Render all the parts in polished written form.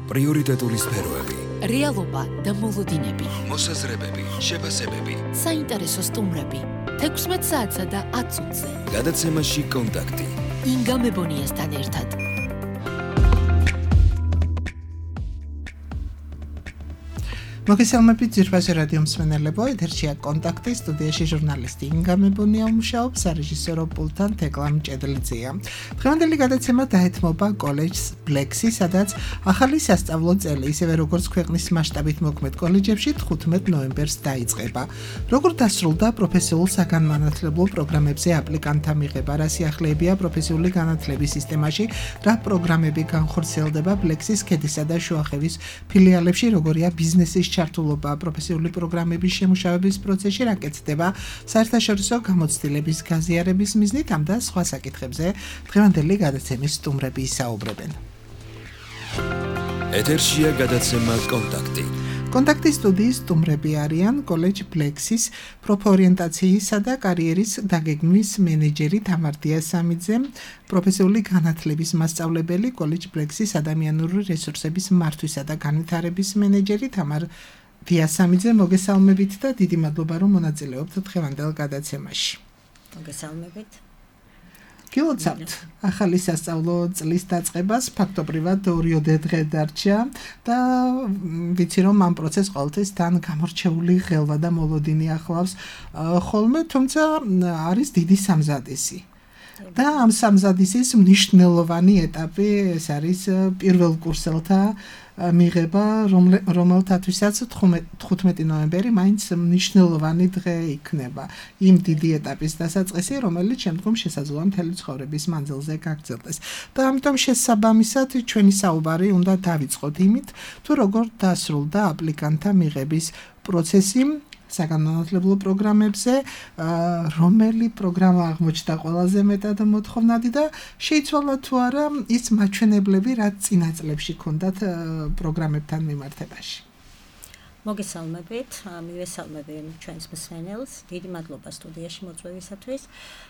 პრიორიტეტული სფეროები, რეალობა და მოლოდინები, მოსაზრებები, შეფასებები, საინტერესო სტუმრები, 16 საათსა და 10 წუთზე. გადაცემაში კონტაქტი. ინგა მებონიასთან ერთად. მოგესალმებით ძირფასი რადიო მსმენელებო, ეთერშია კონტაქტი, სტუდიაში ჟურნალისტი ინგა მებონია მუშაობს, სარეჟისორო პულტთან თეკლა მჭედლიძეა. დღევანდელი გადაცემა დაეთმობა კოლეჯს ბლექსი, სადაც ახალი სასწავლო წელი, ისევე როგორც ქვეყნის მასშტაბით მოქმედ კოლეჯებში 15 ნოემბერს დაიწყება. როგორ დასრულდა პროფესიულ საგანმანათლებლო პროგრამებზე აპლიკანტთა მიღება, რა სიახლეებია პროფესიული განათლების სისტემაში, რა პროგრამები განხორციელდება ბლექსის ქედისა და შუახევის ფილიალებში, როგორია ბიზნესის ჩართულობა პროფესიული პროგრამების შემუშავების პროცესში, რა კეთდება საერთაშორისო გამოცდილების გაზიარების მიზნით, ამ და სხვა საკითხებზე დღევანდელი გადაცემის სტუმრები ისაუბრებენ. ეთერშია გადაცემა კონტაქტი. კონტაქტის სტუდიის სტუმრები არიან კოლეჯ ბლექსის პროფორიენტაციისა და კარიერის დაგეგმვის მენეჯერი თამარ დიასამიძე, პროფესიული განათლების მასწავლებელი კოლეჯ ბლექსის ადამიანური რესურსების მართვისა და განვითარების მენეჯერი თამარ დიასამიძე, მოგესალმებით და დიდი მადლობა რომ მონაწილეობთ დღევანდელ გადაცემაში. მოგესალმებით. გილოცავთ ახალი სასწავლო წლის დაწყებას, ფაქტობრივად 2 დღე დარჩა და ვიცი რომ ამ პროცესს ყოველთვის თან გამორჩეული ღელვა და მოლოდინი ახლავს ხოლმე, თუმცა არის დიდი სამზადისი. და ამ სამზადისის მნიშვნელოვანი ეტაპი ეს არის პირველ კურსელთა მიღება, რომელთათვისაც 15 ნოემბერი მაინც მნიშვნელოვანი დღე იქნება. იმ დიდი ეტაპის დასაწყისი, რომელიც შემდგომ შესაძლოა მთელი ცხოვრების მანძილზე გაგრძელდეს. და ამიტომ შესაბამისად ჩვენი საუბარი უნდა დავიწყოთ იმით, თუ როგორ დასრულდა აპლიკანტთა მიღების პროცესი საგანმანათლებლო პროგრამებზე, რომელი პროგრამა აღმოჩნდა ყველაზე მეტად მოთხოვნადი და შეიცვალა თუ არა ის მაჩვენებლები, რაც წინა წლებში ჰქონდათ პროგრამებთან მიმართებაში. მოგესალმებით, მივესალმები ჩვენს მსმენელს, დიდი მადლობა სტუდიაში მოწვევისათვის.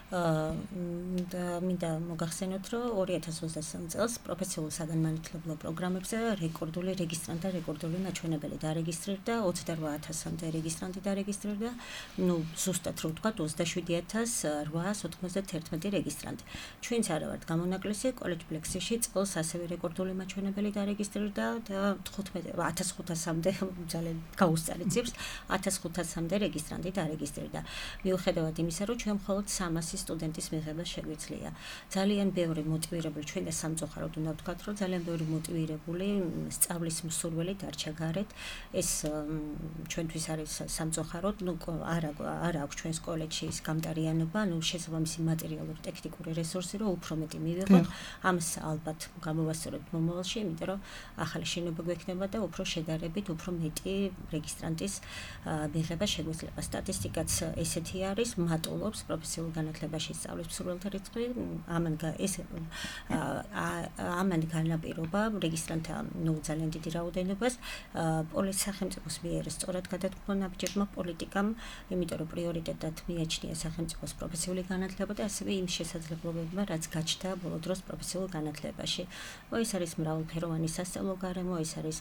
მინდა მოგახსენოთ, რომ 2023 წელს პროფესიულ საგანმანათლებლო პროგრამებზე რეკორდული რეგისტრანტთა რეკორდული მაჩვენებელი დარეგისტრირდა, 28,000-მდე რეგისტრანტი დარეგისტრირდა, ზუსტად რო ვთქვათ 27,891 რეგისტრანტი. ჩვენც არა ვართ გამონაკლისი, კოლეჯ ბლექსში წელს ასევე რეკორდული მაჩვენებელი დარეგისტრირდა და 1500-მდე ძალიან გაუსწარი ციფრს 1500-მდე რეგისტრანტი დარეგისტრირდა. მიუხედავად იმისა, რომ ჩვენ მხოლოდ 300 სტუდენტის მიღება შეგვიძლია. ძალიან ბევრი მოტივირებული, ჩვენ და სამწუხაროდ უნდა ვთქვათ, რომ ძალიან ბევრი მოტივირებული სწავლის მსურველი დარჩა გარეთ. ეს ჩვენთვის არის სამწუხაროდ, არა აქვს ჩვენს კოლეჯში ის გამტარიანობა, შესაბამისი მატერიალური ტექნიკური რესურსი, რომ უფრო მეტი მივიღოთ. ამას ალბათ გამოვასწორებთ მომავალში, იმიტომ რომ ახალი შენობა გვექნება და უფრო შედარებით, უფრო მეტი რეგისტრანტის მიღება შეგვიძლია. სტატისტიკაც ესეთი არის, მატულობს პროფესიულ განათლებაში სწავლის მსურველთა რიცხვი, ამან განაპირობა რეგისტრანტთა ძალიან დიდი რაოდენობას. სახელმწიფოს მიერ სწორად გადადგმა ნაბიჯებმა პოლიტიკამ, იმიტომ რომ პრიორიტეტად მიაჩნია სახელმწიფოს პროფესიული განათლება და ასევე იმ შესაძლებლობებმა, რაც გაჩნდა ბოლო დროს პროფესიულ განათლებაში. ეს არის მრავალფეროვანი სასწავლო გარემო, ეს არის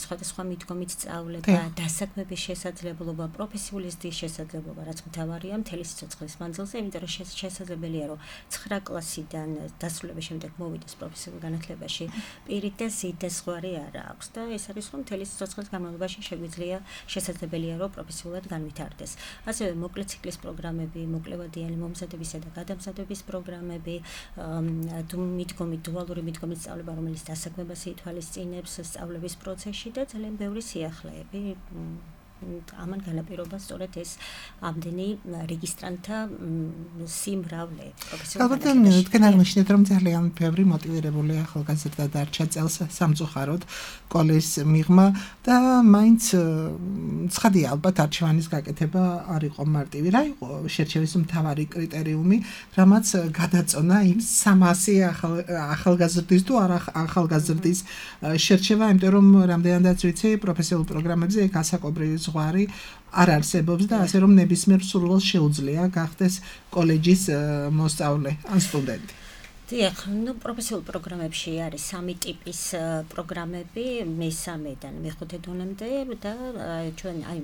სხვადასხვა მიდგომით სწავლება, დასაქმების შესაძლებლობა, პროფესიული ზრდის შესაძლებლობა, რაც მთავარია მთელი სიცოცხლის მანძილზე, იმიტომ რომ შესაძლებელია, რომ 9 კლასიდან დასრულების შემდეგ მოვიდეს პროფესიულ განათლებაში პირით და ზედაზღვარი არა აქვს და ეს არის რომ მთელი სიცოცხლის განმავლობაში შეგვიძლია შესაძლებელია, რომ პროფესიულად განვითარდეს. ასევე მოკლე ციკლის პროგრამები, მოკლევადიანი მომზადებისა და გადამზადების პროგრამები, დუალური მიდგომით სწავლება, რომელიც დასაქმებას ითვალისწინებს სწავლების პროცესში და ძალიან ბევრი სიახლეები. ამან განაპირობა სწორედ ეს ამდენი რეგისტრანტთა სიმრავლე პროფესიულ განათლებაში. თქვენ აღნიშნეთ, რომ ძალიან ბევრი მოტივირებული ახალგაზრდა დარჩა წელს სამწუხაროდ კოლეჯს მიღმა და მაინც ცხადია, ალბათ არჩევანის გაკეთება არ იყო მარტივი. რა იყო შერჩევის მთავარი კრიტერიუმი, რამაც გადაწონა იმ 300 ახალგაზრდის თუ არა ახალგაზრდის შერჩევა, იმიტომ რომ რამდენადაც ვიცი, პროფესიულ პროგრამებზე გასაკობრივი ზღვარი არ არსებობს და ასე რომ ნებისმიერ სურვილს შეუძლია გახდეს კოლეჯის მოსწავლე ან სტუდენტი. დიახ, ну პროფესიულ პროგრამებში არის სამი ტიპის პროგრამები, მესამედან მეხუთე დონემდე და ჩვენ აი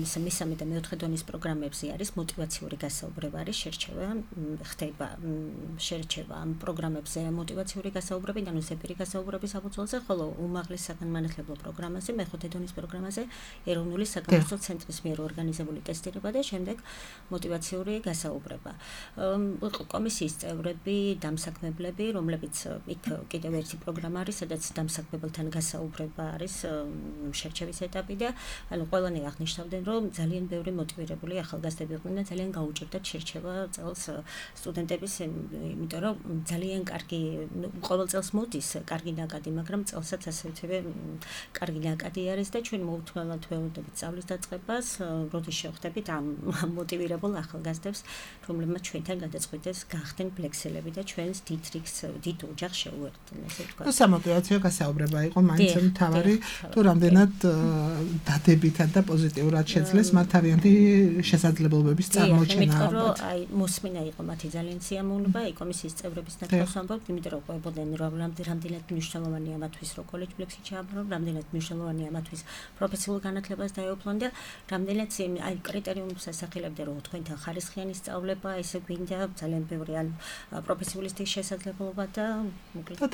მესამე და მეოთხე დონის პროგრამებზე არის მოტივაციური გასაუბრება, არის ხდება შერჩევა ამ პროგრამებზე მოტივაციური გასაუბრები და ნუ ზეპირი გასაუბრების საფუძველზე, ხოლო უმაღლეს საგანმანათლებლო პროგრამაზე, მეხუთე დონის პროგრამაზე ეროვნული საკონსულტაციო ცენტრის მიერ ორგანიზებული ტესტირება და შემდეგ მოტივაციური გასაუბრება. კომისიის წევრები დამსაქმებელები, რომლებიც იქ კიდევ ერთი პროგრამა არის, სადაც დამსაქმებელთან გასაუბრება არის შერჩევის ეტაპი და ანუ ყველანი აღნიშნავდნენ, რომ ძალიან ბევრი მოტივირებული ახალგაზრდები იყვნენ და ძალიან გაუჭირდათ შერჩევა წელს სტუდენტების, იმიტომ რომ ძალიან კარგი, ყოველ წელს მოდის კარგი ნაკადი, მაგრამ წელსაც ასევე კარგი ნაკადი არის და ჩვენ მოუთმენლად ველოდებით სწავლის დაწყებას, როდის შევხვდებით ამ მოტივირებულ ახალგაზრდებს, რომლებმაც ჩვენთან გადაწყვიტეს გახდნენ ფლექსელები და ჩვენს დიდ ოჯახს შეუერთდნენ, ესე ვთქვათ. სამოტივაციო გასაუბრება იყო მაინც მთავარი, თუ რამდენად დადებითად და პოზიტიურად შეძლეს მათ თავიანთი შესაძლებლობების წარმოჩენა. იმიტომ რომ აი მოსმინა იყო მათი ძალიან სიამოვნება, აი კომისიის წევრების ნაცვლად ვამბობ, იმიტომ რომ ყვებოდნენ რამდენად მნიშვნელოვანია მათთვის რო კოლეჯ ფლექსი ჩააბარონ, რამდენად მნიშვნელოვანია მათთვის პროფესიულ განათლებას დაეუფლონ და რამდენად აი კრიტერიუმებს ასახელებდნენ, რომ თქვენთან ხარისხიანი სწავლება, ესე გვინდა ძალიან ბევრი ან პროფესიული შესაძლებლობა და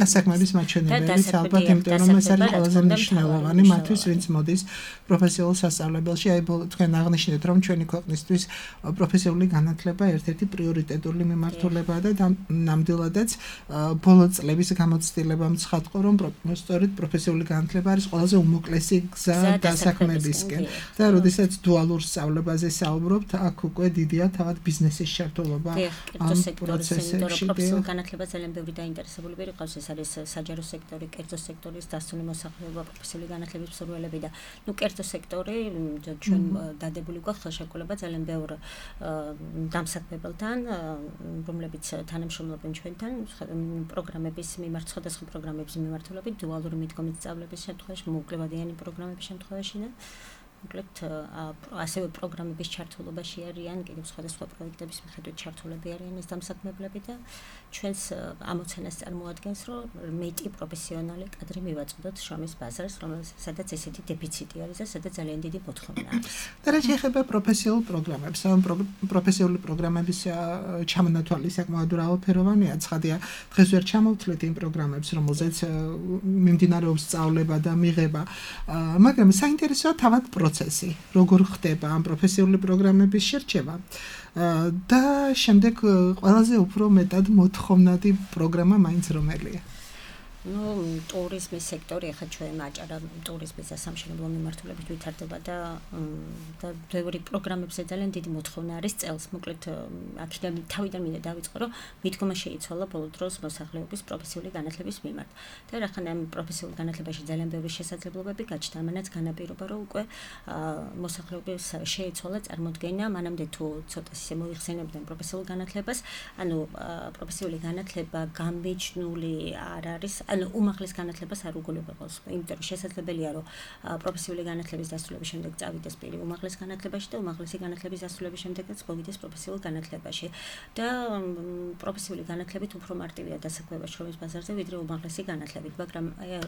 დასაქმების მაჩვენებელიც ალბათ, იმიტომ რომ ეს არის ყველაზე მნიშვნელოვანი მათთვის, ვინც მოდის პროფესიულ სასწავლებელში. აი თქვენ აღნიშნეთ, რომ ჩვენი ქვეყნისთვის პროფესიული განათლება ერთ-ერთი პრიორიტეტული მიმართულებაა და ნამდვილადაც ბოლო წლების გამოცდილებამ ცხადყო, რომ სწორედ პროფესიული განათლება არის ყველაზე უმოკლესი გზა დასაქმებისკენ. და როდესაც დუალურ სწავლებაზე საუბრობთ, აქ უკვე დიდია თავად ბიზნესის ჩართულობა ამ პროცესებში. პროფესიულ განათლებას ძალიან ბევრი დაინტერესებული ყავს, ეს არის საჯარო სექტორი, კერძო სექტორის დასწრული მოსახლეობა, პროფესიული განათლების მსურველები და ნუ კერძო სექტორი ჩვენ დადებული გვაქვს ხელშეკრულება ძალიან ბევრ დამსაქმებელთან, რომლებიც თანამშრომლობენ ჩვენთან პროგრამების მიმართ, სხვადასხვა პროგრამების მიმართულებით, დუალური მიდგომით სწავლების შემთხვევაში, მოუკლებადიანი პროგრამების შემთხვევაში და მოკლედ ასევე პროგრამების ჩართულობაში არიან, კიდევ სხვადასხვა პროექტების მიხედვით ჩართულები არიან ეს დამსაქმებლები და ჩვენს ამოცანას წარმოადგენს, რომ მეტი პროფესიონალი კადრი მივაწოდოთ შრომის ბაზარს, სადაც ესეთი დეფიციტი არის და სადაც ძალიან დიდი მოთხოვნა არის. და რა შეეხება პროფესიულ პროგრამებს, პროფესიული პროგრამების ჩამონათვალი საკმაოდ მრავალფეროვანია, ცხადია, დღეს ვერ ჩამოვთვლით იმ პროგრამებს, რომელზეც მიმდინარეობს სწავლება და მიღება, მაგრამ საინტერესოა თავად პროცესი, როგორ ხდება ამ პროფესიული პროგრამების შერჩევა და შემდეგ ყველაზე უფრო მეტად მოთხოვნადი პროგრამა მაინც რომელია. ну ტურიზმის სექტორი ახლა ჩვენ აჭარა ტურიზმის სამშენებლო მიმართულებით ვითარდება და ბევრი პროგრამებზე ძალიან დიდი მოთხოვნა არის წელს. მოკლედ აქედან თავიდან მინდა დავიწყო, რომ მიდგომა შეიცვალა ბოლო დროს მოსახლეობის პროფესიული განათლების მიმართ. და რახან ამ პროფესიულ განათლებაში ძალიან ბევრი შესაძლებლობები გაჩნდა, ამანაც განაპირობა, რომ უკვე მოსახლეობის შეიცვალა წარმოდგენა, მანამდე თუ ცოტა ისე მოიხსენებდნენ პროფესიულ განათლებას, ანუ პროფესიული განათლება გამბიჯნული არ არის. ანუ უმაღლეს განათლებას არ უგულებელს, იმიტომ რომ შესაძლებელია, რომ პროფესიული განათლების დასრულების შემდეგ წავიდეს პირი უმაღლეს განათლებაში და უმაღლესი განათლების დასრულების შემდეგაც მოვიდეს პროფესიულ განათლებაში. და პროფესიული განათლებით უფრო მარტივია დასაქმება შრომის ბაზარზე, ვიდრე უმაღლესი განათლებით, მაგრამ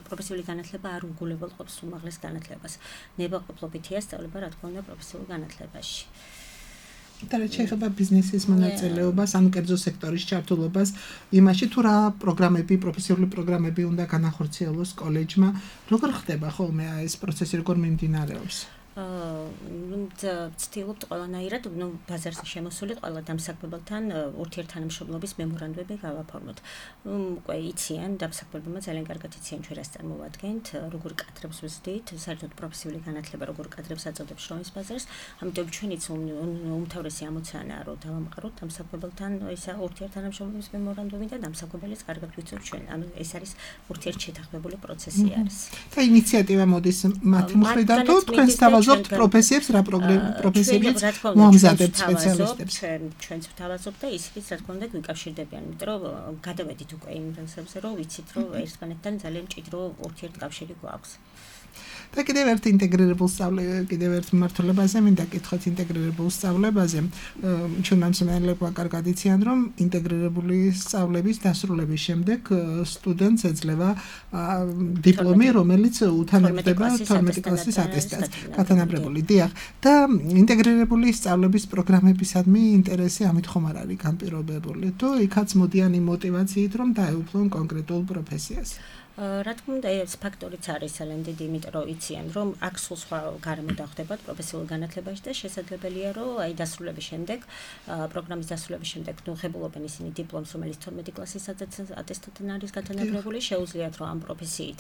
პროფესიული განათლება არ უგულებელყოფს უმაღლეს განათლებას. ნებაყოფლობითია სწავლება, რა თქმა უნდა, პროფესიულ განათლებაში. და რა შეეხება ბიზნესის მონაწილეობას, ან კერძო სექტორის ჩართულობას, იმაში თუ რა პროგრამები, პროფესიული პროგრამები უნდა განახორციელოს კოლეჯმა, როგორ ხდება ხოლმე ეს პროცესი, როგორ მიმდინარეობს? ვცდილობთ ყველანაირად, ბაზარზე შემოსული ყველა დამსაქმებელთან ურთიერთთანამშრომლობის მემორანდუმები გავაფორმოთ. უკვე იციან, დამსაქმებელმა ძალიან კარგად იციან ჩვენ რას წარმოვადგენთ, როგორ კადრებს ვზრდით, საერთოდ პროფესიული განათლება როგორ კადრებს აწოდებს შრომის ბაზარს, ამიტომ ჩვენიც უმთავრესი ამოცანაა, რომ დავამყაროთ დამსაქმებელთან ისა ურთიერთთანამშრომლობის მემორანდუმი და დამსაქმებელიც კარგად ვიცით ჩვენ. ანუ ეს არის ურთიერთშეთანხმებული პროცესი არის. და ინიციატივა მოდის მათი მხრიდან თუ თქვენს თავაზობთ პროფესიებს, რა პროფესიებიც მოამზადებთ სპეციალისტებს. ჩვენც ვთავაზობთ და ისიც რა თქმა უნდა გვიკავშირდებიან, იმიტომ რომ გადავედით უკვე იმ რამსებზე, რომ ვიცით, რომ ერთმანეთთან ძალიან მჭიდრო ურთიერთკავშირი გვაქვს. და კიდევ ერთ ინტეგრირებულ კიდევ ერთ მიმართულებაზე მინდა კითხოთ ინტეგრირებულ სწავლებაზე. ჩვენმა მსმენელებმა კარგად იციან, რომ ინტეგრირებული სწავლების დასრულების შემდეგ სტუდენტს ეძლევა დიპლომი, რომელიც უთანაგდება 12 კლასის ატესტატს, გათანაბრებული. დიახ, და ინტეგრირებული სწავლების პროგრამებისადმი ინტერესი ამით ხომ არ არის განპირობებული, თუ იქაც მოდიან იმ მოტივაციით, რომ დაეუფლონ კონკრეტულ პროფესიას. რა თქმა უნდა, ეს ფაქტორიც არის ძალიან დიდი, იმიტომ რომ იციან, რომ აქ სულ სხვა გარემო დახვდებათ პროფესიულ განათლებაში და შესაძლებელია, რომ აი დასრულების შემდეგ, პროგრამის დასრულების შემდეგ ნუღებულობენ ისინი დიპლომს, რომელიც 12 კლასის ატესტატთან არის გათანაბრებული, შეუძლიათ რომ ამ პროფესიით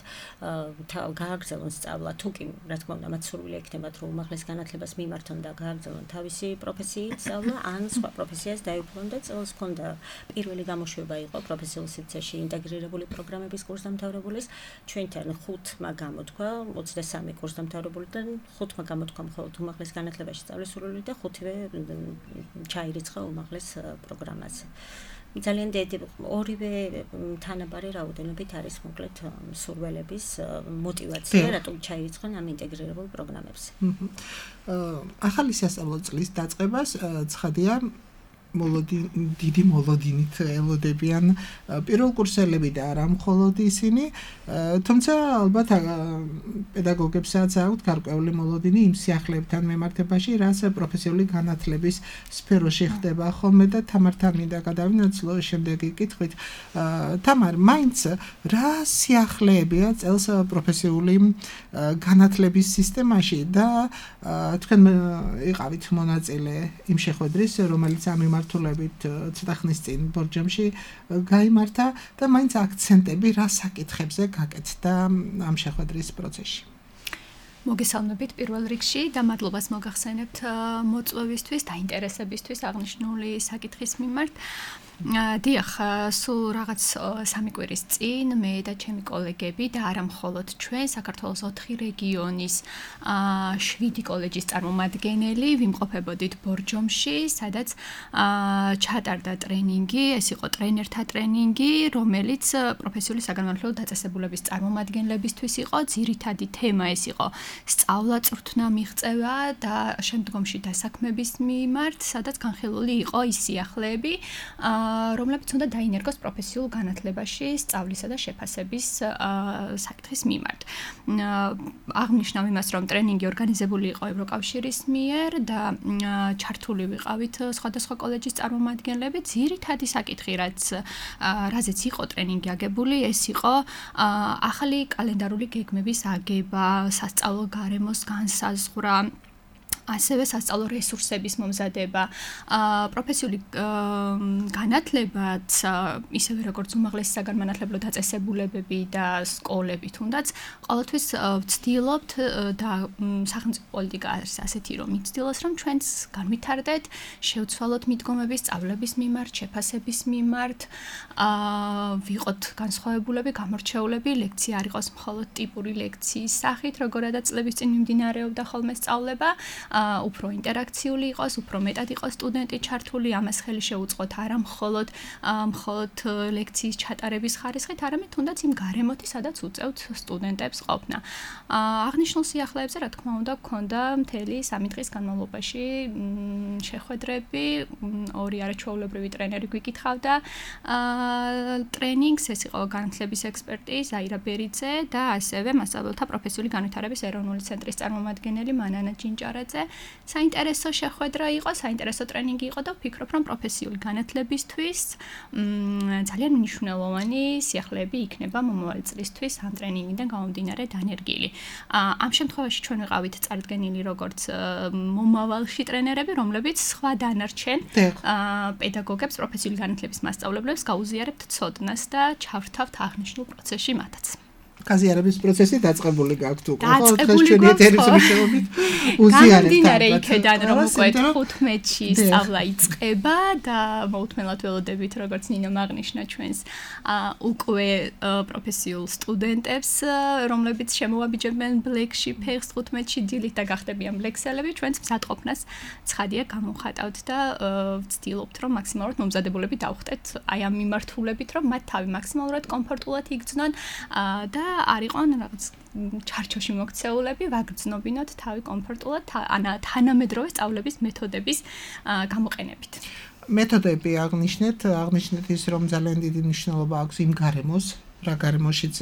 გააგრძელონ სწავლა, თუ კი რა თქმა უნდა, მათ სურვილი ექნებათ, რომ უმაღლეს განათლებას მიმართონ და გააგრძელონ თავისი პროფესიით სწავლა, ან სხვა პროფესიას დაეუფლონ და წელს ჰქონდა პირველი გამოშვება იყო პროფესიულ სივრცეში ინტეგრირებული პროგრამების კურსდამთავრებულის ჩვენთან 5-მა გამოთქვა 23 კურსდამთავრებულიდან 5-მა გამოთქვა მხოლოდ უმაღლეს განათლებაში სწავლის სურვილი და 5-ვე ჩაირიცხა უმაღლეს პროგრამაზე. ძალიან დიდი ორივე თანაბარი რაოდენობით არის მოკლედ სურვილების მოტივაცია, რატომ ჩაირიცხონ ამ ინტეგრირებულ პროგრამებზე. ახალი სასწავლო წლის დაწყებას ცხადია დიდი მოლოდინით ელოდებიან პირველ კურსელები და არა მხოლოდ ისინი, თუმცა ალბათ პედაგოგებსაც აქვთ გარკვეული მოლოდინი იმ სიახლეებთან მიმართებაში, რაც პროფესიული განათლების სფეროში ხდება ხოლმე და თამართან მინდა გადავინაცვლო შემდეგი კითხვით. თამარ, მაინც რა სიახლეებია წელს პროფესიული განათლების სისტემაში და თქვენ იყავით მონაწილე იმ შეხვედრის, რომელიც ამ მიმართულებით ცოტა ხნის წინ ბორჯომში გაიმართა და მაინც აქცენტები რა საკითხებზე გაკეთდა ამ შეხვედრის პროცესში. მოგესალმებით პირველ რიგში და მადლობას მოგახსენებთ მოწვევისთვის და ინტერესებისთვის აღნიშნული საკითხის მიმართ. დიახ, სულ რაღაც 3 კვირის წინ მე და ჩემი კოლეგები და არა მხოლოდ ჩვენ საქართველოს 4 რეგიონის 7 კოლეჯის წარმომადგენელი ვიმყოფებოდით ბორჯომში, სადაც ჩატარდა ტრენინგი, ეს იყო ტრენერთა ტრენინგი, რომელიც პროფესიული საგანმანათლებლო დაწესებულების წარმომადგენლებისთვის იყო. ძირითადი თემა ეს იყო სწავლა-წვრთნა მიღწევა და შემდგომში დასაქმების მიმართ, სადაც განხილული იყო ის სიახლეები, რომლებიც უნდა დაინერგოს პროფესიულ განათლებაში სწავლისა და შეფასების საკითხის მიმართ. აღნიშნავ იმას, რომ ტრენინგი ორგანიზებული იყო ევროკავშირის მიერ და ჩართული ვიყავით სხვადასხვა კოლეჯის წარმომადგენლები. ძირითადი საკითხი, რაზეც იყო ტრენინგი აგებული, ეს იყო ახალი კალენდარული გეგმების აგება, სასწავლო გარემოს განსაზღვრა, ასევე სასწავლო რესურსების მომზადება, პროფესიული განათლებაც, ისევე როგორც უმაღლესი საგანმანათლებლო დაწესებულებები და სკოლები თუნდაც, ყოველთვის ვცდილობთ და სახელმწიფო პოლიტიკა არის ასეთი, რომ იცდილოს, რომ ჩვენც განვითარდეთ, შევცვალოთ მიდგომები სწავლების მიმართ, შეფასების მიმართ, ვიყოთ განსხვავებულები, გამორჩეულები, ლექცია არ იყოს მხოლოდ ტიპური ლექციის სახით, როგორადაც წლების წინ მიმდინარეობდა ხოლმე სწავლება, უფრო ინტერაქციული იყოს, უფრო მეტად იყოს სტუდენტი ჩართული, ამას ხელი შეუწყოთ არა მხოლოდ ლექციის ჩატარების ხარისხით, არამედ თუნდაც იმ გარემოთი, სადაც უწევთ სტუდენტებს ყოფნა. აღნიშნულ სიახლეებზე, რა თქმა უნდა, გქონდა მთელი 3 დღის განმავლობაში შეხვედრები, 2 არაჩვეულებრივი ტრენერი გვიკითხავდა ტრენინგს, ეს იყო განათლების ექსპერტი ზაირა ბერიძე და ასევე მასწავლებლთა პროფესიული განვითარების ეროვნული ცენტრის წარმომადგენელი მანანა ჯინჭარაძე. საინტერესო შეხვედრა იყო, საინტერესო ტრენინგი იყო და ვფიქრობ, რომ პროფესიული განათლებისთვის ძალიან მნიშვნელოვანი სიახლეები იქნება მომავალ წლისთვის ამ ტრენინგიდან გამომდინარე დანერგილი. ამ შემთხვევაში ჩვენ ვიყავით წარდგენილი როგორც მომავალში ტრენერები, რომლებიც სხვა დანარჩენ პედაგოგებს, პროფესიული განათლების მასწავლებლებს გაუზიარებთ ცოდნას და ჩავრთავთ აღნიშნულ პროცესში მათაც. გაზიარების პროცესი დაწყებული გაქვთ უკვე. ხო, დღეს ჩვენი ეთერის მეშვეობით უზიარებთ. გამდინარე იქედან, რომ უკვე 15-ში სწავლა იწყება და მოუთმენლად ველოდებით, როგორც ნინო აღნიშნა ჩვენს უკვე პროფესიულ სტუდენტებს, რომლებიც შემოვაბიჯებენ ბლეკში ფეხს 15-ში დილით და გახდებიან ბლექსელები, ჩვენს მზადყოფნას ცხადია გამოვხატავთ და ვცდილობთ, რომ მაქსიმალურად მომზადებულები დავხტეთ აი ამ მიმართულებით, რომ მათ თავი მაქსიმალურად კომფორტულად იგრძნონ და არ იყვნენ რაღაც ჩარჩოში მოქცეულები, ვაგრძნობინოთ თავი კომფორტულად თანამედროვე სწავლების მეთოდების გამოყენებით. მეთოდები აღნიშნეთ ის, რომ ძალიან დიდი მნიშვნელობა აქვს იმ გარემოს, რა გარემოშიც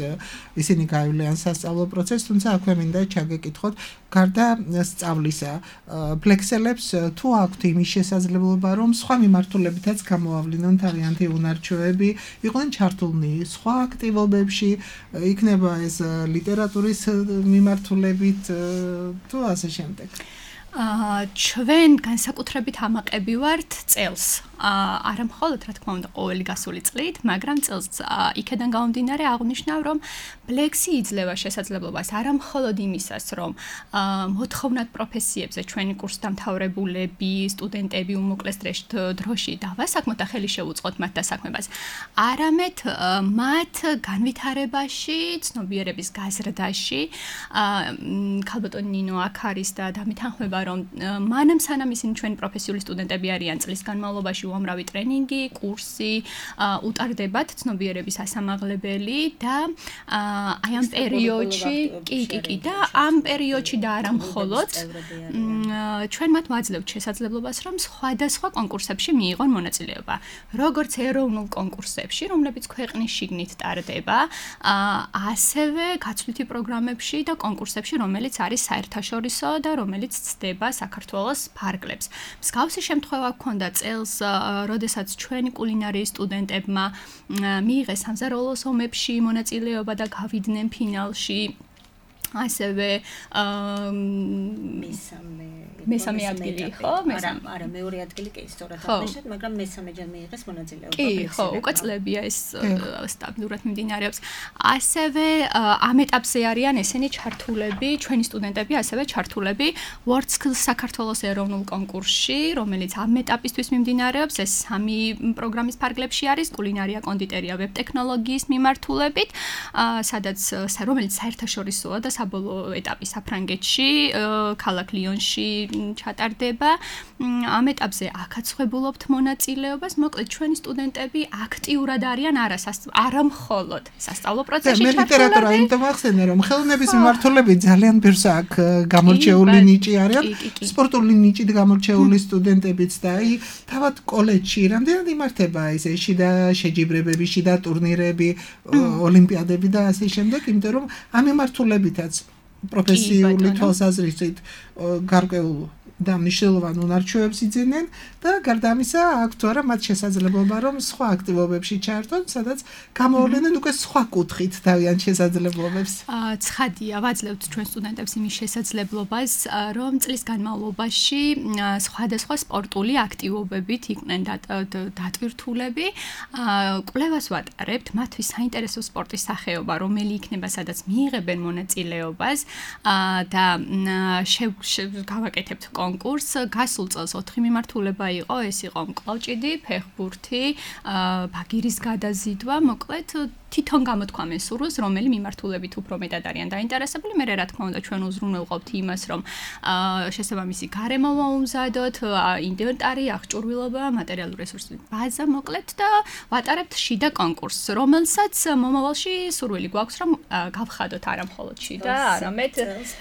ისინი გაივლიან სასწავლო პროცესს, თუმცა აქვე მინდა ჩაგეკითხოთ, გარდა სწავლისა, ფლექსელებს თუ აქვთ იმის შესაძლებლობა, რომ სხვა მიმართულებითაც გამოავლინონ თავიანთი უნარჩვევები, იყვნენ ჩართულნი სხვა აქტივობებში, იქნება ეს ლიტერატურის მიმართულებით თუ ასე შემდეგ. ჩვენ განსაკუთრებით ამაყები ვართ წელს. არა მხოლოდ რა თქმა უნდა ყოველი გასული წლით, მაგრამ წელს იქედან გამომდინარე აღნიშნავ, რომ ბლექსი იძლევა შესაძლებლობას არა მხოლოდ იმისას, რომ მოთხოვნად პროფესიებზე ჩვენი კურსდამთავრებულები, სტუდენტები უმოკლეს დროში დავასაქმოთ და ხელი შევუწყოთ მათ დასაქმებას, არამედ მათ განვითარებაში, ცნობიერების გაზრდაში, ქალბატონი ნინო აქ არის და დამეთანხმება, რომ მანამ სანამ ისინი ჩვენი პროფესიული სტუდენტები არიან წლის განმავლობაში უამრავი ტრენინგი, კურსი უტარდებათ ცნობიერების ასამაღლებელი და აი ამ პერიოდში კი და ამ პერიოდში და არა მხოლოდ ჩვენ მათ ვაძლევთ შესაძლებლობას, რომ სხვადასხვა კონკურსებში მიიღონ მონაწილეობა. როგორც ეროვნულ კონკურსებში, რომლებიც ქვეყნის შიგნით ტარდება, ასევე გაცვლითი პროგრამებში და კონკურსებში, რომელიც არის საერთაშორისო და რომელიც ცდება საქართველოს ფარგლებს. მსგავსი შემთხვევა ჰქონდა წელს, როდესაც ჩვენი კულინარიის სტუდენტებმა მიიღეს სამზარეულოს ომებში მონაწილეობა და გავიდნენ ფინალში. ასევე მესამე ადგილი, ხო? არა, მეორე ადგილი კი სწორად აღნიშნეთ, მაგრამ მესამეჯერ მიიღეს მონაწილეობა. კი, ხო, უკვე წლებია ეს სტაბილურად მიმდინარეობს. ასევე ამ ეტაპზე არიან ესენი ჩართულები, ჩვენი სტუდენტები, ასევე ჩართულები World Skills საქართველოს ეროვნულ კონკურსში, რომელიც ამ ეტაპისთვის მიმდინარეობს. ეს 3 პროგრამის ფარგლებში არის: კულინარია, კონდიტერია, ვებ-ტექნოლოგიის მიმართულებით, რომელიც საერთაშორისოა და საბოლოო ეტაპი საფრანგეთში, ქალაქ ლიონში ჩატარდება. ამ ეტაპზე აქაც ხვებულობთ მონაწილეობას. მოკლედ, ჩვენი სტუდენტები აქტიურად არიან არა მხოლოდ სასწავლო პროცესში ჩართულები. მე ლიტერატურა იმიტომ ახსენე, რომ ხელოვნების მიმართულებით ძალიან ბევრს აქ გამორჩეული ნიჭი არის, სპორტული ნიჭით გამორჩეული სტუდენტებიც და აი თავად კოლეჯში რამდენად იმართება ეს შიდა შეჯიბრებები, შიდა ტურნირები, ოლიმპიადები და ასე შემდეგ, იმიტომ რომ ამ მიმართულებითაც პროფესიული თვალსაზრისით გარკვეულ და მნიშვნელოვან უნარჩვევებს იძენენ და გარდა ამისა აქვთ არა მათ შესაძლებლობა რომ სხვა აქტივობებში ჩაერთონ, სადაც გამოავლენენ უკვე სხვა კუთხით თავიანთ შესაძლებლობებს. ცხადია, ვაძლევთ ჩვენ სტუდენტებს იმის შესაძლებლობას, რომ წლის განმავლობაში სხვადასხვა სპორტული აქტივობებით იყვნენ დატვირთულები. კვლევას ვატარებთ მათთვის საინტერესო სპორტის სახეობა, რომელი იქნება, სადაც მიიღებენ მონაწილეობას და გავაკეთებთ კონკურს. გასულ წელს 4 მიმართულება იყო, ეს იყო მკლავჭიდი, ფეხბურთი, ბაგირის გადაზიდვა, მოკლედ თვითონ გამოთქვამენ სურვილს, რომელი მიმართულებით უფრო მეტად არიან დაინტერესებული. მე რა თქმა უნდა ჩვენ უზრუნველყოფთ იმას, რომ შესაბამისი გარემო მოუმზადოთ, ინვენტარი, აღჭურვილობა, materiალური რესურსების ბაზა, მოკლედ და ვატარებთ შიდა კონკურსს, რომელსაც მომავალში სურვილი გვაქვს, რომ გავხადოთ არა მხოლოდ შიდა, არამედ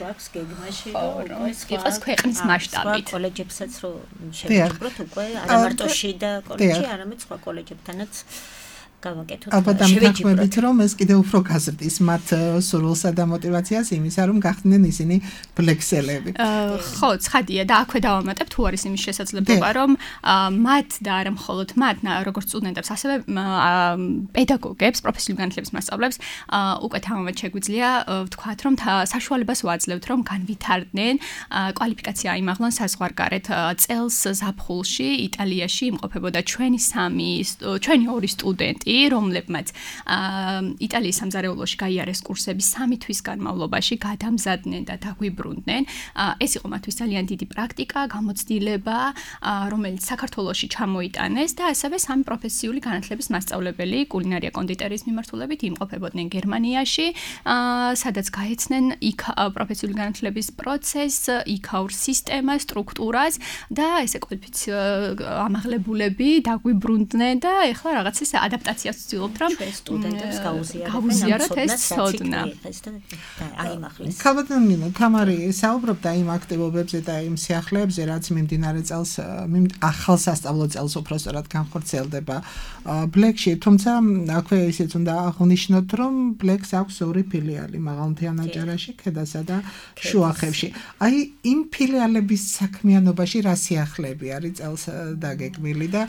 გვაქვს გეგმაში, რომ იყოს ქვეყნის მასშტაბით. სხვა კოლეჯებსაც რომ შევიჭროთ უკვე არა მარტო შიდა კოლეჯი, არამედ სხვა კოლეჯებთანაც გავაკეთოთ. ალბათ ამთანხმებით, რომ ეს კიდევ უფრო გაზრდის მათ სურვილსა და мотиваციას იმისა, რომ გახდნენ ისინი ფლექსელები. ხო, ცხადია და აქვე დავამატებ, თუ არის იმის შესაძლებლობა, რომ მათ და არა მხოლოდ მათ, როგორც სტუდენტებს, ასევე პედაგოგებს, პროფესიული განათლების მასწავლებლებს უკვე თამამად შეგვიძლია ვთქვათ, რომ საშუალებას ვაძლევთ, რომ განვითარდნენ, კვალიფიკაცია აიმაღლონ საზღვარგარეთ. წელს ზაფხულში იტალიაში იმყოფებოდა ჩვენი 2 სტუდენტი, რომლებმაც იტალიის სამზარეულოში გაიარეს კურსები 3 თვის განმავლობაში, გადამზადდნენ და დაგვიბრუნდნენ. ეს იყო მათთვის ძალიან დიდი პრაქტიკა, გამოცდილება, რომელიც საქართველოში ჩამოიტანეს და ასევე 3 პროფესიული განათლების მასწავლებელი კულინარია კონდიტერიის მიმართულებით იმყოფებოდნენ გერმანიაში, სადაც გაეცნენ პროფესიული განათლების პროცესს, იქაურ სისტემას, სტრუქტურას და ესე ამაღლებულები დაგვიბრუნდნენ და ეხლა რაღაც ეს ადაპტაცია ადმინისტრაციას ვცდილობთ, რომ სტუდენტებს გაუზიაროთ ეს ცოდნა. ქალბატონო თამარი საუბრობდა იმ აქტივობებზე და იმ სიახლეებზე, რაც მიმდინარე წელს ახალ სასწავლო წელს უпростоრად განხორციელდება ბლეკში, თუმცა აქვე ისიც უნდა აღვნიშნოთ, რომ ბლეკს აქვს ორი ფილიალი, მაღალმთიან აჭარაში, ქედასა და შუახევში. აი იმ ფილიალების საქმიანობაში რა სიახლეები არის წელს დაგეგმილი და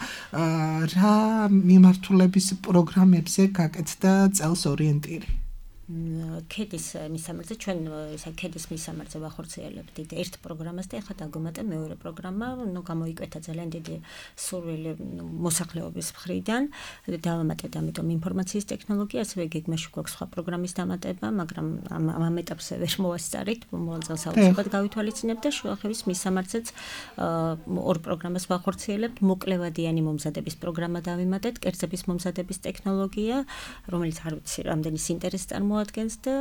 რა მიმართულების პროგრამებზე გაკეთდა წელს ორიენტირი? ქედის მისამართზე ჩვენ ისა ქედის მისამართზე ვახორციელებთ ერთ პროგრამას და ახლა დაგმატე მეორე პროგრამა, გამოიკვეთა ძალიან დიდი სურვილი მოსახლეობის მხრიდან დავამატეთ ამიტომ ინფორმაციის ტექნოლოგია, ასევე გეგმაში გვაქვს სხვა პროგრამის დამატება, მაგრამ ამ ეტაპზე ვერ მოვასწარით, მოვალ წელს აუცილებლად გავითვალისწინებთ და შუახევის მისამართზეც ორ პროგრამას ვახორციელებთ, მოკლევადიანი მომზადების პროგრამა დავიმატეთ, კერძების მომზადების ტექნოლოგია, რომელიც არ ვიცი რამდენის ინტერესს წარმოადგენს და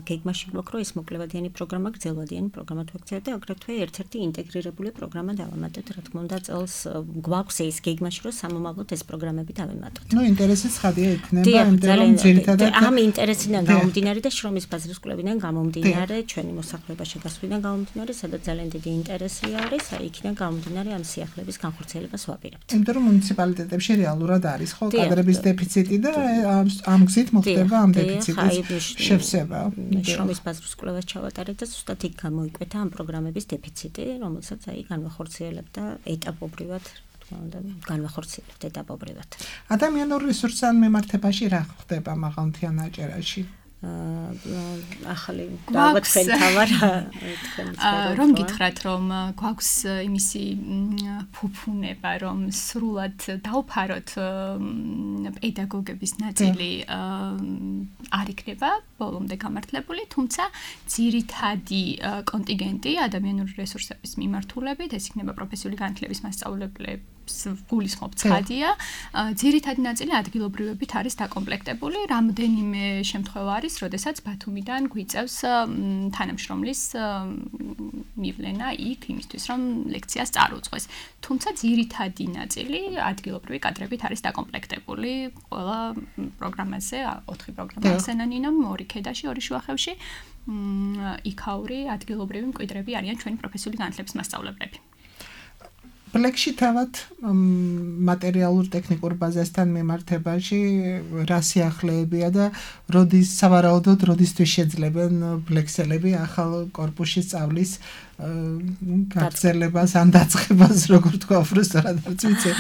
გეგმაში გვაქვს რომ ეს მოკლევადიანი პროგრამა გრძელვადიანი პროგრამა თვექცია და აგრეთვე ერთ-ერთი ინტეგრირებული პროგრამა დავამატეთ, რა თქმა უნდა წელს გვაქვს ეს გეგმაში რომ სამომავლოდ ეს პროგრამები დავემატოთ. ნუ ინტერესი ცხადია იქნება, იმიტომ რომ ძირითადად ამ ინტერესიდან გამომდინარე და შრომის ბაზრის კვლევიდან გამომდინარე, ჩვენი მოსახლეობა შეგასვლიდან გამომდინარე, სადაც ძალიან დიდი ინტერესი არის, აი იქიდან გამომდინარე ამ სიახლეების განხორციელებას ვაპირებთ. იმიტომ რომ მუნიციპალიტეტებში რეალურად არის ხო კადრების დეფიციტი და ამ გზით მოხდება ამ დეფიციტის შევსება. შრომის ბაზრის კვლევას ჩავატარეთ და ზუსტად იქ გამოიკვეთა ამ პროგრამების დეფიციტი, რომელსაც აი განვახორციელებთ და ეტაპობრივად განვახორციელებთ ეტაპობრივად. ადამიანურ რესურსთან მიმართებაში რა ხდება მაღალმთიან აჭარაში? ახალი ალბათ თქვენ თამარ რომ გითხრათ რომ გვაქვს იმისი ფუფუნება რომ სრულად დავფაროთ პედაგოგების ნაწილი არ იქნება ბოლომდე გამართლებული, თუმცა ძირითადი კონტინგენტი ადამიანური რესურსების მიმართულებით, ეს იქნება პროფესიული განათლების მასწავლებლები გულისხმობ ცხადია, ძირითადი ნაწილი ადგილობრივებით არის დაკომპლექტებული, რამდენიმე შემთხვევა არის, როდესაც ბათუმიდან გვიწევს თანამშრომლის მივლენა იქ იმისთვის, რომ ლექციას წარუძღვეს. თუმცა ძირითადი ნაწილი ადგილობრივი კადრებით არის დაკომპლექტებული ყველა პროგრამაზე, 4 პროგრამა ახსენანინომ, 2 ქედაში, 2 შუახევში, იქაური ადგილობრივი მკვიდრები არიან ჩვენი პროფესიული განათლების მასწავლებლები. ბლეკში თავად მატერიალურ ტექნიკურ ბაზასთან მიმართებაში რა სიახლეებია და როდის სავარაუდოდ როდისთვის შეძლებენ ბლექსელები ახალ კორპუსში სწავლის გაგრძელებას ან დაწყებას, როგორ თქვა უბრალოდ არც ვიცი.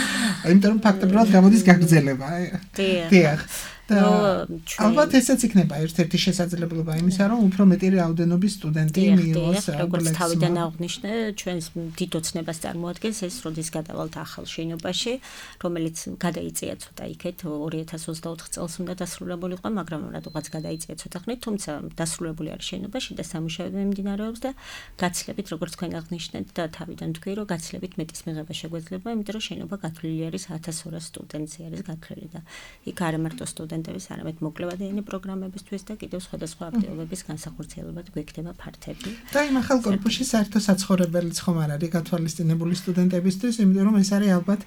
იმიტომ რომ ფაქტობრივად გამოდის გაგრძელება. დიახ. ალბათ ესაც იქნება ერთ-ერთი შესაძლებლობა იმისა, რომ უფრო მეტი რაოდენობის სტუდენტი მიიღოს ბლექსს. როგორც თავიდან აღვნიშნე, ჩვენს დიდ ოცნებას წარმოადგენს ეს, როდის გადავალთ ახალ შენობაში, რომელიც გადაიწია ცოტა იქეთ 2024 წელს უნდა დასრულებულიყო, მაგრამ რატოღაც გადაიწია ცოტა ხნით, თუმცა დასრულებული არის შენობაში და სამუშაოები მიმდინარეობს და გაცილებით, როგორც თქვენ აღნიშნეთ და თავიდან თქვი, რომ გაცილებით მეტის მიღება შეგვეძლება, იმიტომ რომ შენობა გათვლილი არის 1200 სტუდენტზე არის გათვლილი და იქ არა მარტო სტუდენტების, არამედ მოკლევადიანი პროგრამებისთვის და კიდევ სხვადასხვა აქტივობების განსახორციელებად გვექნება ფართები. და იმ ახალ კორპუსში საერთო საცხოვრებელიც ხომ არ არის გათვალისწინებული სტუდენტებისთვის, იმიტომ რომ ეს არის ალბათ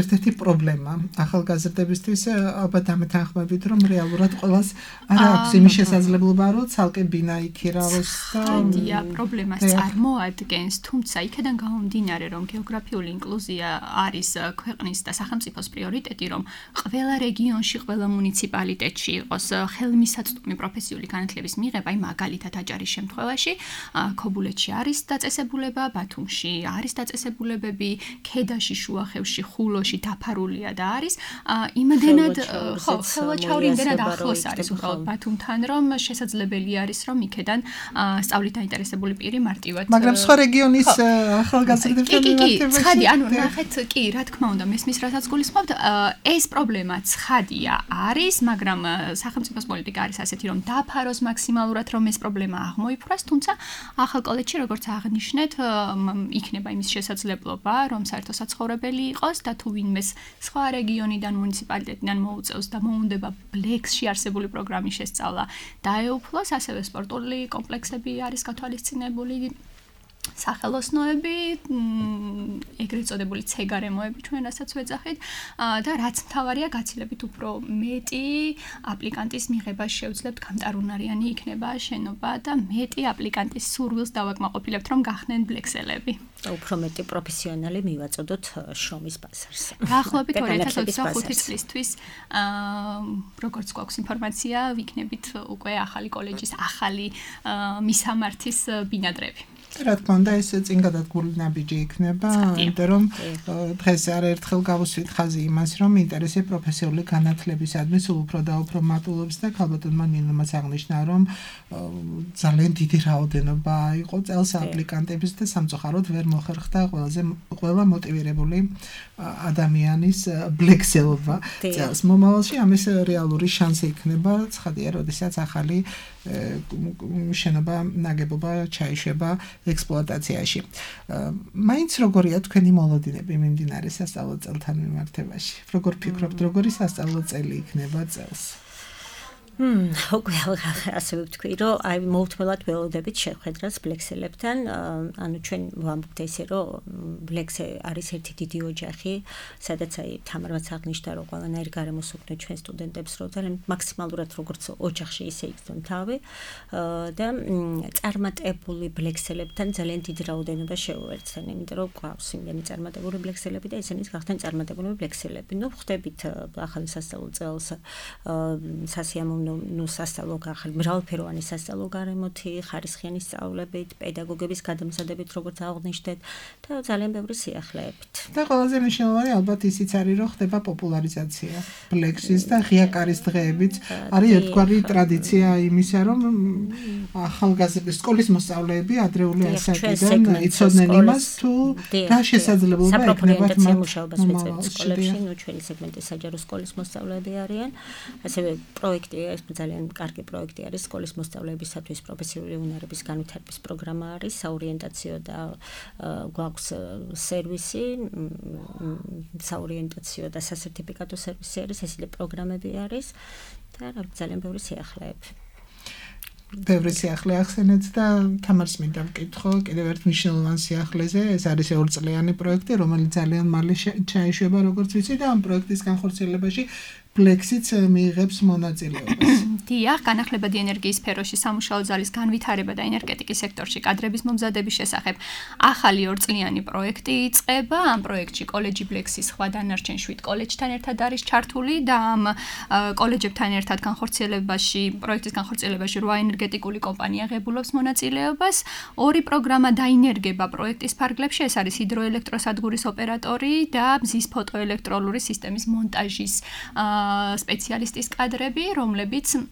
ერთ-ერთი პრობლემა ახალგაზრდებისთვის, ალბათ ამეთანხმებით, რომ რეალურად ყველას არ აქვს იმის შესაძლებლობა, რომ ცალკე ბინა იქირავოს და ხადია პრობლემას წარმოადგენს, თუმცა იქიდან გამომდინარე, რომ გეოგრაფიული ინკლუზია არის ქვეყნის და სახელმწიფოს პრიორიტეტი, რომ ყველა რეგიონში, ყველა მუნიციპალიტეტში იყოს ხელმისაწვდომი პროფესიული განათლების მიღება, აი მაგალითად აჭარის შემთხვევაში, ქობულეთში არის დაწესებულება, ბათუმში არის დაწესებულებები, ქედაში, შუახევში, ხულოში დაფარულია და არის იმდენად ხო, ხელვაჩაური იმდენად ახლოს არის უბრალოდ ბათუმთან, რომ შესაძლებელი არის, რომ იქიდან სწავლით დაინტერესებული პირი მარტივად მაგრამ სხვა რეგიონის ახალგაზრდებთან მიმართებაში ცხადი, ანუ ნახეთ, კი, რა თქმა უნდა, მესმის რასაც გულისხმობთ, ეს პრობლემა ცხადია არის, მაგრამ სახელმწიფოს პოლიტიკა არის ასეთი, რომ დაფაროს მაქსიმალურად, რომ ეს პრობლემა აღმოიფრას, თუმცა ახალ კოლეჯში, როგორც აღნიშნეთ, იქნება იმის შესაძლებლობა, რომ საერთო საცხოვრებელი იყოს და თუ ვინმეს სხვა რეგიონიდან, მუნიციპალიტეტიდან მოუწევს და მოუნდება ბლექსში არსებული პროგრამის შესწავლა, დაეუფლოს, ასევე სპორტული კომპლექსები არის გათვალისწინებული. სახელოსნოები, ეგრეთ წოდებული ცეგარემოები ჩვენ რასაც ვეძახით და რაც მთავარია გაცილებით უფრო მეტი აპლიკანტის მიღება შევძლებთ, გამტარუნარიანი იქნება შენობა და მეტი აპლიკანტის სურვილს დავაკმაყოფილებთ, რომ გახდნენ ბლექსელები. უფრო მეტი პროფესიონალი მივაწოდოთ შრომის ბაზარს. დაახლოებით 2025 წლისთვის როგორც გვაქვს ინფორმაცია, ვიქნებით უკვე ახალი კოლეჯის ახალი მისამართის ბინადრები. რა თქმა უნდა, ეს წინ გადადგმული ნაბიჯი იქნება, იმიტომ რომ დღეს არაერთხელ გავუსვით ხაზი იმას, რომ ინტერესი პროფესიული განათლებისადმი სულ უფრო და უფრო მატულობს და ქალბატონმა ნინომაც აღნიშნა, რომ ძალიან დიდი რაოდენობა იყო წელს აპლიკანტების და სამწუხაროდ ვერ მოხერხდა ყველა მოტივირებული ადამიანის ბლექსელობა წელს. მომავალში ამის რეალური შანსი იქნება, ცხადია, როდესაც ახალი შენობა ნაგებობა ჩაიშვება ექსპლუატაციაში. მაინც როგორია თქვენი მოლოდინები მიმდინარე სასწავლო წელთან მიმართებაში? როგორ ფიქრობთ, როგორი სასწავლო წელი იქნება წელს? უკვე ასე ვთქვი, რომ აი მოუთმელად ველოდებით შეხვედრას ბლექსელებთან, ანუ ჩვენ ვამბობთ ესე, რომ ბლექსე არის ერთი დიდი ოჯახი, სადაც აი თამარაც აღნიშნა, რომ ყველანაირი გარემოს უქმნით ჩვენ სტუდენტებს, რომ ძალიან მაქსიმალურად როგორც ოჯახში ისე იქცონ თავი და წარმატებული ბლექსელებთან ძალიან დიდი რაოდენობა შეუერთდნენ, იმიტომ რომ გვყავს იმდენი წარმატებული ბლექსელები და ესენიც გახდნენ წარმატებული ბლექსელები. ნუ ხვდებით ახალი სასწავლო წელს სასიამოვნო სასწავლო ახალი მრავალფეროვანი სასწავლო გარემოთი, ხარისხიანი სწავლებით, პედაგოგების გადამზადებით, როგორც აღნიშნეთ და ძალიან ბევრი სიახლეებით. და ყველაზე მნიშვნელოვანი ალბათ ისიც არის, რომ ხდება პოპულარიზაცია ბლექსის და ღია კარის დღეებიც არის ერთგვარი ტრადიცია იმისა, რომ ახალგაზრდები სკოლის მოსწავლეები ადრეული ასაკიდან იცოდნენ იმას, თუ რა შესაძლებლობა ექნებათ მათ მუშაობას ვეწევთ სკოლებში, ნუ ჩვენი სეგმენტი საჯარო სკოლის მოსწავლეები არიან, ასევე პროექტი ძალიან კარგი პროექტი არის სკოლის მოსწავლეებისათვის პროფესიული უნარების განვითარების პროგრამა არის, საორიენტაციო და გვაქვს სერვისი, საორიენტაციო და სასერტიფიკატო სერვისი არის, ესეთი პროგრამები არის და ძალიან ბევრი სიახლეები. ბევრი სიახლე ახსენეთ და თამარს მინდა ვკითხო კიდევ ერთ მნიშვნელოვან სიახლეზე, ეს არის 2 წლიანი პროექტი, რომელიც ძალიან მალე ჩაიშვება, როგორც ვიცი და ამ პროექტის განხორციელებაში ბლექსიც მიიღებს მონაწილეობას. დიახ, განახლებადი ენერგიის სფეროში სამუშაო ძალის განვითარება და ენერგეტიკის სექტორში კადრების მომზადების შესახებ ახალი 2 წლიანი პროექტი იწყება. ამ პროექტში კოლეჯი ბლექსის სხვა დანარჩენ 7 კოლეჯთან ერთად არის ჩართული და ამ კოლეჯებთან ერთად პროექტის განხორციელებაში 8 ენერგეტიკული კომპანია ღებულობს მონაწილეობას. 2 პროგრამა დაინერგება პროექტის ფარგლებში, ეს არის ჰიდროელექტროსადგურის ოპერატორი და მზის ფოტოელექტროლური სისტემის მონტაჟის სპეციალისტის კადრები, რომლებიც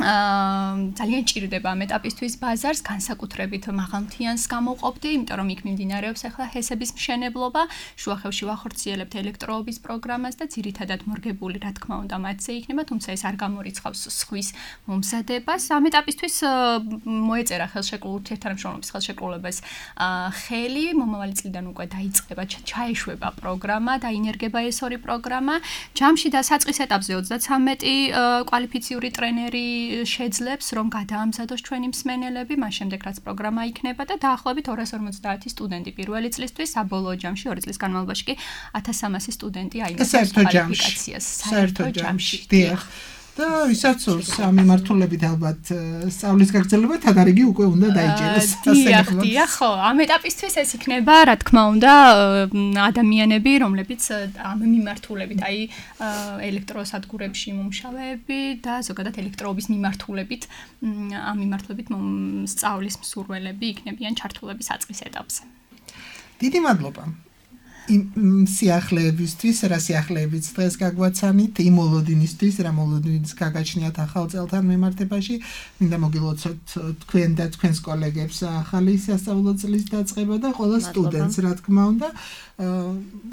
ძალიან ჭირდება ამ ეტაპისთვის ბაზარს, განსაკუთრებით მაღალმთიანს გამოვყოფდი, იმიტომ რომ იქ მიმდინარეობს ახლა ჰესების მშენებლობა, შუახევში ვახორციელებთ ელექტროობის პროგრამას და ძირითადად მორგებული, რა თქმა უნდა, მათზე იქნება, თუმცა ეს არ გამორიცხავს სხვის მომზადებას. ამ ეტაპისთვის მოეწერა ურთიერთთანამშრომლობის ხელშეკრულებას ხელი, მომავალი წლიდან უკვე დაიწყება, ჩაეშვება პროგრამა, დაინერგება ეს 2 პროგრამა. ჯამში და საწყის ეტაპზე 33 კვალიფიციური ტრენერი შეძლებს, რომ გადაამზადოს ჩვენი მსმენელები, მას შემდეგ რაც პროგრამა იქნება და დაახლოებით 250 სტუდენტი პირველი წლისთვის, საბოლოო ჯამში 2 წლის განმავლობაში კი 1300 სტუდენტი აიმართებს კვალიფიკაციას საერთო ჯამში. დიახ. და ვისაც ამ მიმართულებით ალბათ სწავლის გაგრძელება თადარიგი უკვე უნდა დაიჭეროს. დიახ, ხო, ამ ეტაპისთვის ეს იქნება, რა თქმა უნდა, ადამიანები, რომლებიც ამ მიმართულებით, აი ელექტროსადგურებში მომუშავეები და ზოგადად ელექტროობის მიმართულებით, ამ მიმართულებით სწავლის მსურველები იქნებიან ჩართულები საწყის ეტაპზე. დიდი მადლობა. სიახლეებისთვის, რა სიახლეებიც დღეს გაგვაცანით, იმ მოლოდინისთვის, რა მოლოდინის გაგაჩნიათ ახალ წელთან მიმართებაში, მინდა მოგილოცოთ თქვენ და თქვენს კოლეგებს ახალი სასწავლო წლის დაწყება და ყველა სტუდენტს, რა თქმა უნდა,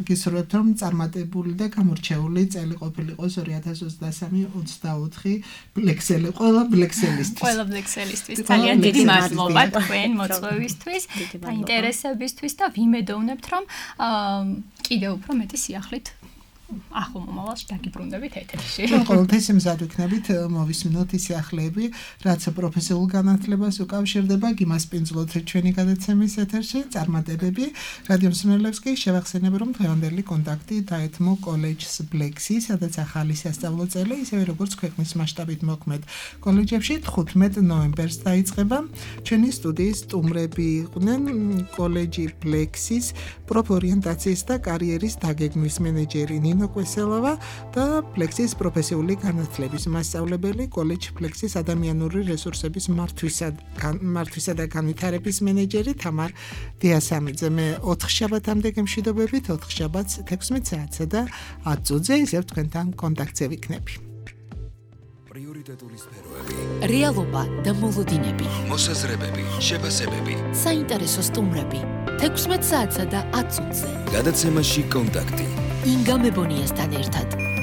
გისურვებთ, რომ წარმატებული და გამორჩეული წელი ყოფილიყოს 2023-24 ბლექსელი, ყველა ბლექსელისთვის. ყველა ბლექსელისთვის ძალიან დიდი მადლობა თქვენ მოწვევისთვის და ინტერესებისთვის და ვიმედოვნებთ, რომ კიდევ უფრო მეტი სიახლით ახლო მომავალში დაგიბრუნდებით ეთერში. ჩვენ ყოველთვის მზად ვიქნებით მოვისმინოთ ის სიახლეები, რაც პროფესიულ განათლებას უკავშირდება, იმას პინძლოთ ჩვენი გადაცემის ეთერში, წარმატებები. რადიო მსმენელებს კი შევახსენებ, რომ დღევანდელი კონტაქტი დაეთმო კოლეჯს Blexi, სადაც ახალი სასწავლო წელი, ისევე როგორც ქვეყნის მასშტაბით მოქმედ კოლეჯებში 15 ნოემბერს დაიწყება. ჩვენი სტუდიის სტუმრები იყვნენ კოლეჯი Blexis პროფორიენტაციის და კარიერის დაგეგმვის მენეჯერი ნინო კვესელავა და Blexis პროფესიული განათლების მასწავლებელი კოლეჯ Blexis ადამიანური რესურსების მართვისა და განვითარების მენეჯერი თამარ დიასამიძე. მე 4 შაბათამდე გემშვიდობებით, 4 შაბათს 16 საათსა და 10 წუთზე ისევ თქვენთან კონტაქტზე ვიქნები. პრიორიტეტული სფეროები, რეალობა და მოლოდინები, მოსაზრებები, შეფასებები. საინტერესო სტუმრები 16 საათსა და 10 წუთზე. გადაცემაში კონტაქტი. ინგა მებონიასთან ერთად.